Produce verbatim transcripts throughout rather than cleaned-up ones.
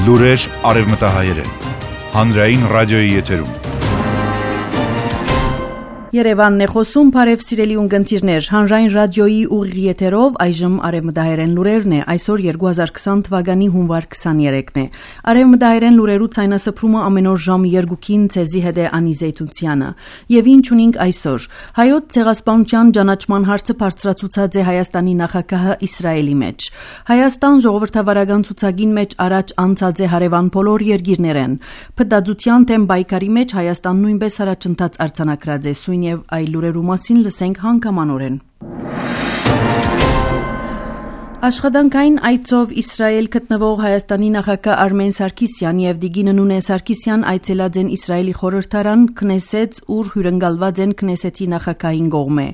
Լուրեր արևմտահայերեն։ Հանրային ռադիոյի եթերում։ Երևանն է խոսում, բարև սիրելի ունկնդիրներ, հանրային ռադիոյի ուղիղ եթերով այժմ արևմտահայերեն լուրերն է, այսօր երկու հազար քսան թվականի հունվար քսաներեքն է։ Արևմտահայերեն լուրերու ցայնասփռումը ամեն օր ժամ երկուքին ցեզի հետ է Անի Զեյթունցյանը։ Եվ ինչ ունենք այսօր։ Հայոց ցեղասպանության ճանաչման հարցը բարձրացուցած է Հայաստանի նախագահը Իսրայելի մեջ։ Հայաստան ժողովրդավարական ցուցակին մեջ առաջ անցած է հարևան բոլոր երկիրներեն։ Փդածության թեմ բայկարի մեջ Հայաստան նույնպես առաջընթաց արձանագրած է սույն եւ այլ լուրերու մասին լսենք հանգամանորեն։ Աշխատանքային այցով Իսրայել գտնվող Հայաստանի նախագահ Արմեն Սարգսյան եւ Դիգինը Նունե Սարգսյան այցելած են Իսրայելի խորհրդարան Քնեսեթ, ուր հյուրընկալված են Քնեսեթի նախագահին կողմէ։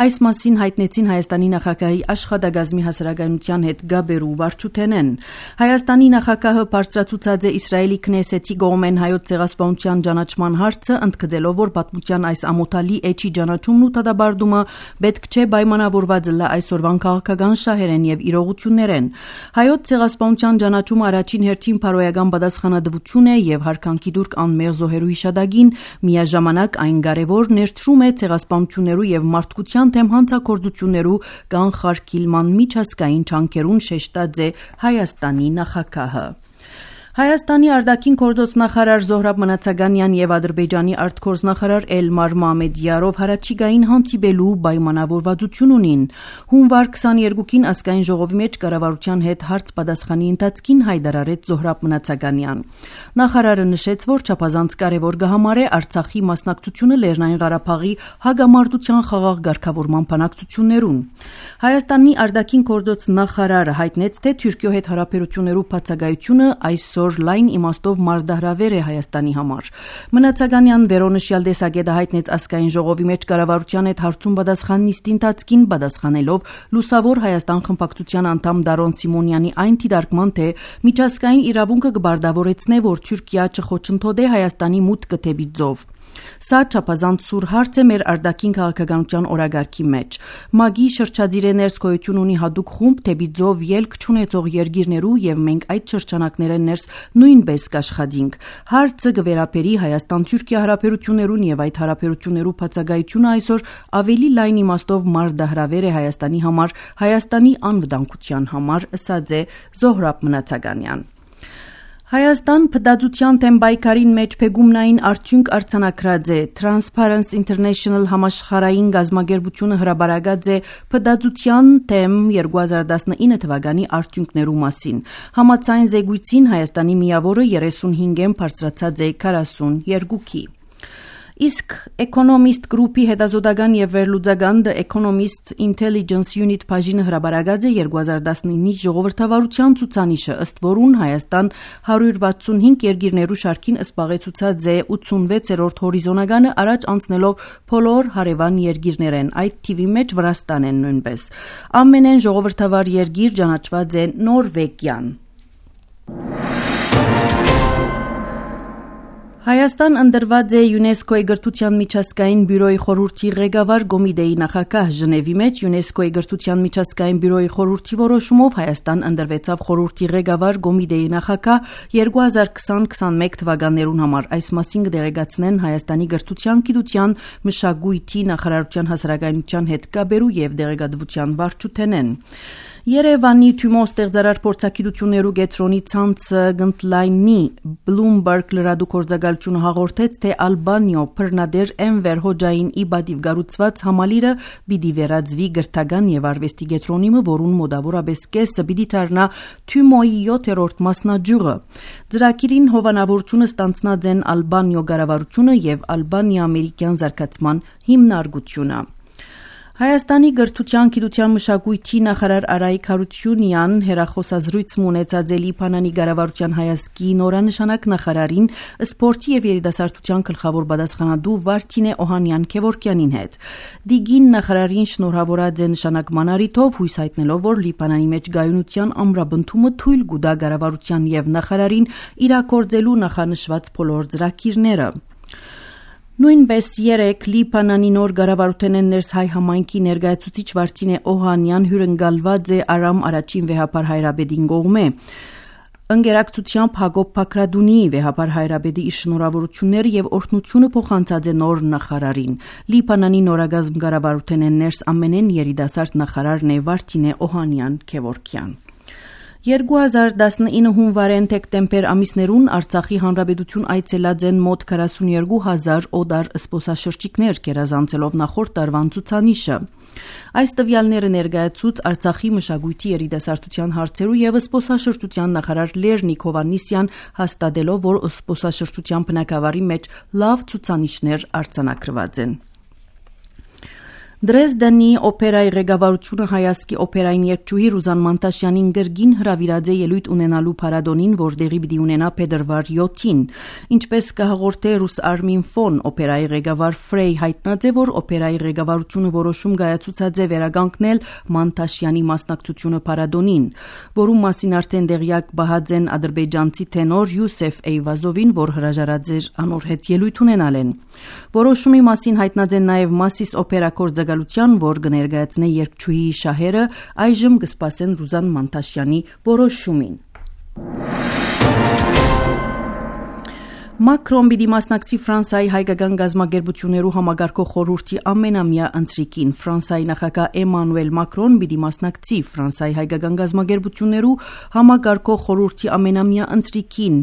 Այս մասին հայտնեցին Հայաստանի նախագահի աշխատակազմի հասարակայնության հետ գաբերու վարչութենեն։ Հայաստանի նախագահը բարձրացուցած է Իսրայելի Քնեսեթի կողմեն հայոց ցեղասպանության ճանաչման հարցը, ընդգծելով, որ պատմության այս ամոթալի էջի ճանաչումն ու դադարդումը պետք չէ պայմանավորված լա այսօրվան քաղաքական շահերեն եւ իրողություններեն։ Հայոց ցեղասպանության ճանաչումը առաջին հերթին փարոյական պատասխանատվություն է եւ հարկանքի դուրք անմեղ զոհերու հիշադակին, միաժամանակ այն կարեւոր ներդրում է ցեղասպանություններու եւ մարդկության թեմ հանցագործություններու կանխարգելման միջազգային ջանքերուն շեշտած է Հայաստանի նախագահը։ Հայաստանի արտաքին գործոց նախարար Զոհրաբ Մնացականյան եւ Ադրբեջանի արտգործնախարար Էլմար Մամեդյարով հարաճիգային հանդիպելու պայմանավորվածություն ունին։ Հունվար քսաներկուին ազգային ժողովի մեջ կառավարության հետ հարց պատասխանի ընթացքին հայտարարեց Զոհրաբ Մնացականյան։ Նախարարը նշեց, որ չափազանց կարևոր կհամարե Արցախի մասնակցությունը Լեռնային Ղարաբաղի հագամարտության խաղաղ ղեկավարման բանակցություններուն։ Հայաստանի արտաքին գործոց նախարարը հայտնեց, թե Թուրքիո հետ հարաբերություններու բացակայությունը այսօր լայն իմաստով մարտահրավեր է Հայաստանի համար։ Մնացականյան վերոնշյալ տեսակետը հայտնեց ազգային ժողովի մեջ կառավարության հետ հարցում պատասխան նիստի ընթացքին պատասխանելով լուսավոր Հայաստան խմբակցության անդամ Դարոն Սիմոնյանի այն դիտարկման, թե միջազգային իրավունքը կբարդավորեցնե, որ Թուրքիա չխոչընդոտե Հայաստանի մուտքը դեպի ծով։ Սա չափազանց սուր հարց է մեր արտաքին քաղաքականության օրագարկի մեջ։ ՄԱԳ-ի շրջադիր ներս գոյություն ունի հատուկ խումբ դեպի ծով ելք չունեցող երկիրներու եւ մենք այդ շրջանակները ներս նույնպես կաշխատենք։ Հարցը կվերապերի Հայաստան-Թուրքիա հարաբերություններուն եւ այդ հարաբերություններու բացակայությունը այսօր ավելի լայն իմաստով մարտահրավեր է Հայաստանի համար, Հայաստանի անվտանգության համար, ըսած է Զոհրաբ Մնացականյան։ Հայաստան փդածության թեմ բայկարին մեջ փեգումնային արդյունք արձանագրած է։ Transparency International համաշխարհային գազագերբությունը հրաբարացած է փդածության թեմ երկու հազար տասնինը թվականի արդյունքներու մասին։ Համաձայն զեկույցին Հայաստանի միավորը երեսունհինգեն բարձրացած է քառասունյոթի։ Իսկ Economist Group-ի հետազոտական եւ վերլուծական The Economist Intelligence Unit բաժինը հրաբարացած է երկու հազար տասնինի ժողովրդավարության ցուցանիշը, ըստ որուն Հայաստան հարյուր վաթսունհինգ երկիրներու շարքին զբաղեցուցած է ութսունվեցերորդ հորիզոնականը առաջ անցնելով բոլոր հարևան երկիրներեն, այդ թիվի մեջ Վրաստանն են նույնպես։ Ամենեն ժողովրդավար երկիր ճանաչված է Նորվեգիան։ Հայաստան ընդրված է ՅՈՒՆԵՍԿՕ-ի գրթության միջազգային բյուրոյի խորհրդի ղեկավար Գոմիդեի նախագահ Ժնևի մեջ ՅՈՒՆԵՍԿՕ-ի գրթության միջազգային բյուրոյի խորհրդի որոշումով Հայաստան ընդրվեցավ խորհրդի ղեկավար Գոմիդեի նախագահ երկու հազար քսան քսանմեկ թվականներուն համար։ Այս մասին կդեղեկացնեն Հայաստանի գրթության, գիտության, մշակույթի նախարարության հասարակայնության հետ կապերու եւ դեղեկատվության վարչութենեն։ Երևանի Թումո ստեղծարար փորձագիտություններու կենտրոնի ցանցը գնդլայնի Bloomberg լրատվագործակալությունը հաղորդեց, թե Ալբանիո Փռնադեր Էնվեր Հոջային իբադիվ գառուցված համալիրը պիտի վերածվի գրթական եւ արվեստի կենտրոնի, որուն մոտավորապես կեսը պիտի դառնա Թումոյի յոթերորդ մասնաճյուղը։ Ծրագիրին հովանավորությունը ստանձնած են Ալբանիո կառավարությունը եւ Ալբանիա-ամերիկյան զարգացման հիմնարկությունը։ Հայաստանի գրթության, գիտության, մշակույթի նախարար Արայիկ Հարությունյան հերախոսազրույց ունեցած է Լիբանանի կառավարության հայազգի նորանշանակ նախարարին, սպորտի եւ երիտասարդության գլխավոր պատասխանատու Վարդինե Օհանյան Քևորքյանին հետ։ Դիգին նախարարին շնորհավորած է նշանակման առիթով, հույս հայտնելով, որ Լիբանանի մեջ գայունության ամրապնդումը թույլ կտա կառավարության եւ նախարարին իրագործելու նախանշված բոլոր ծրագիրները։ Նույնպես երեք Լիբանանի նոր կառավարութենեն ներս հայ համայնքի ներկայացուցիչ Վարդինե Օհանյան հյուրընկալված է Արամ առաջին վեհապար հայրաբեդին կողմէ։ Ընկերակցությամբ Հակոբ Բաքրադունիի վեհապար Հայրաբեդի իր շնորհավորությունները եւ օրհնությունը փոխանցած է նոր նախարարին։ Լիբանանի նորագազմ կառավարութենեն ներս ամենեն երիտասարդ նախարարն է Վարդինե Օհանյան Քևորքյան։ երկու հազար տասնինը հունվարեն դեկտեմբեր ամիսներուն Արցախի հանրապետություն այցելած են մոտ քառասունուերկու հազար օդար զբոսաշրջիկներ գերազանցելով նախորդ տարվան ցուցանիշը։ Այս տվյալները ներկայացուց Արցախի մշակույթի երիտասարդության հարցերու եւ զբոսաշրջության նախարար Լեռնիկ Հովհաննիսյան հաստատելով, որ զբոսաշրջության բնակավարի մեջ լավ ցուցանիշներ արձանագրված են։ Դրեզդենի օպերայի ղեկավարությունը հայասկի օպերային երգչուհի Ռուզան Մանտաշյանին գրգին հրավիրած է ելույթ ունենալու փառատոնին, որ դեղի պիտի ունենա փետրվար յոթին։ Ինչպես կհաղորդե Ռուս Արմին Ֆոն, օպերայի ղեկավար Ֆրեյ հայտնած է, որ օպերայի ղեկավարությունը որոշում կայացուցած է վերականգնել Մանտաշյանի մասնակցությունը փառատոնին, որում մասին արդեն դեղյակ բահած են ադրբեջանցի տենոր Յուսեֆ Էյվազովին, որ հրաժարած էր անոր հետ ելույթ ունենալեն։ Որոշումի մասին հայտնած են նաև Մասիս օպերակորձ որ կներկայացնե երգչուհիի շահերը, այժմ կսպասեն Ռուզան Մանտաշյանի որոշումին։ Մակրոն պիտի մասնակցի Ֆրանսիայի հայկական գազագերբություններու համագարկող խորհրդի ամենամյա ընթրիկին։ Ֆրանսիայի նախագահ Էմանուել Մակրոն պիտի մասնակցի Ֆրանսիայի հայկական գազագերբություններու համագարկող խորհրդի ամենամյա ընթրիկին։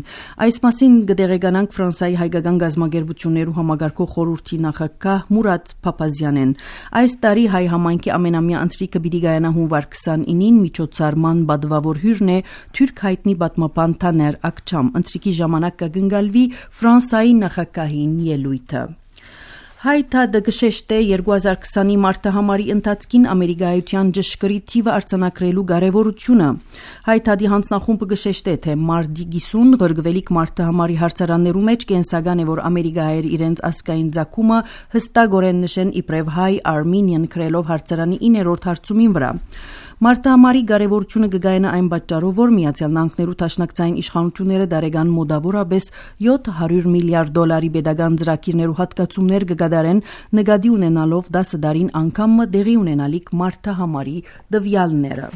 Այս մասին կդեղեկանանք Ֆրանսիայի հայկական գազագերբություններու համագարկող խորհրդի նախագահ Մուրադ Փափազյանեն։ Այս տարի հայ համայնքի ամենամյա ընթրիկը պիտի կայանա հունվար քսանինին միջոցառման բադվավոր հյուրն է թուրք հայտնի պատմաբան Թաներ Ակչամ։ Ընթրիկի ժամանակ կգնկալվի Ֆրանսիայի նախագահին ելույթը։ Հայտադը գշեշտե երկու հազար քսանի մարտահամարի ընթացքին Ամերիկայության ճշգրիտ թիվը արձանագրելու կարևորությունը։ Հայտադի հանձնախումբը գշեշտե, թե մարտի կիսուն ղրգվելիք մարտահամարի հարցարաններու մեջ կենսական է, որ ամերիկայեր իրենց ասկային ձակումը հստակորեն նշեն իբրև հայ Armenian քրելով հարցարանի իններորդ հարցումին վրա։ Մարտահամարի կարևորությունը կգայնա այն պատճառով, որ Միացյալ Նահանգներու դաշնակցային իշխանությունները դարեգան մոտավորապես յոթ հարյուր միլիարդ դոլարի պետական ծրագիրներու հատկացումներ կգադարեն, նկատի ունենալով դասը դարին անգամը դեղի ունենալիք մարտահամարի տվյալները։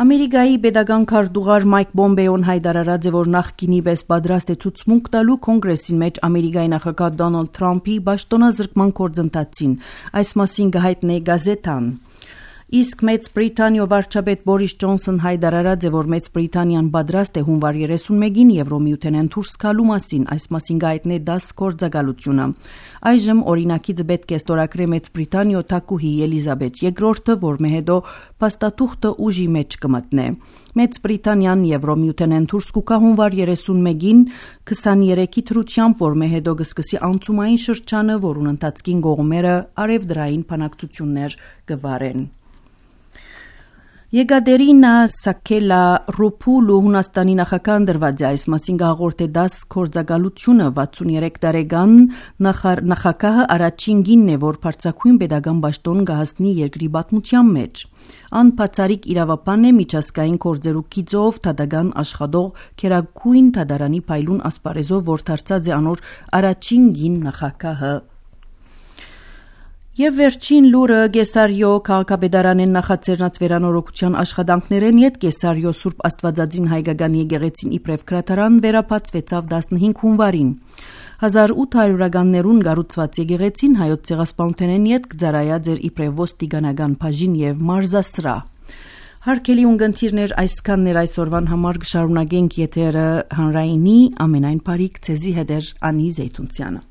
Ամերիկայի պետական քարտուղար Մայք Պոմպեոն հայտարարած է, որ նախկինի պես պատրաստ է ցուցմունք տալու կոնգրեսին մեջ Ամերիկայի նախագահ Դոնալդ Թրամփի պաշտոնազրկման գործընթացին։ Այս մասին կհայտնի գազետան։ Իսկ Մեծ Բրիտանիո վարչապետ Բորիս Ջոնսոն հայտարարած է, որ Մեծ Բրիտանիան պատրաստ է հունվար երեսունմեկին Եվրոմիութենեն դուրս գալու մասին, այս մասին կհայտնի դաս գործակալությունը։ Այժմ օրինակից պետք է ստորագրե Մեծ Բրիտանիո թագուհի Էլիզաբեթ երկրորդը, որ մեհետո փաստաթուղթը ուժի մեջ կմտնե։ Մեծ Բրիտանիան Եվրոմիութենեն դուրս կգա հունվար երեսունմեկին քսաներեքի թրությամբ, որ մեհետո կսկսի անցումային շրջանը, որուն ընթացքին կողմերը արևդրային բանակցություններ կվարեն։ Եկատերինա Սաքելա Ռոփուլու Հունաստանի նախագահ դրված է, այս մասին կհաղորդե դաս գործակալությունը վաթսուներեք տարեկան նախագահը առաջին գինն է, որ բարձրագույն պետական պաշտոն կհասնի երկրի պատմության մեջ։ Ան բացառիկ իրավաբան է միջազգային գործերու գիծով դատական աշխատող Քերագույն դատարանի փայլուն ասպարեզով, որ դարձած է անոր առաջին գին նախագահը։ Եվ վերջին լուրը Գեսարիո քաղաքապետարանեն նախաձեռնած վերանորոգության աշխատանքներեն յետ Գեսարիո Սուրբ Աստվածածին հայկական եկեղեցին իբրև քրատարան վերապացվեցավ տասնհինգ հունվարին։ հազար ութ հարյուրականներուն կառուցված եկեղեցին հայոց ցեղասպանութենեն յետ կծառայած էր իբրև ոստիկանական բաժին եւ մարզասրահ։ Հարգելի ունգընտիրներ, այսքանն էր այսօրվան համար, կշարունակենք եթերը հանրայինի ամենայն բարիք ցեզի հետ էր Անի Զեյթունցյանը։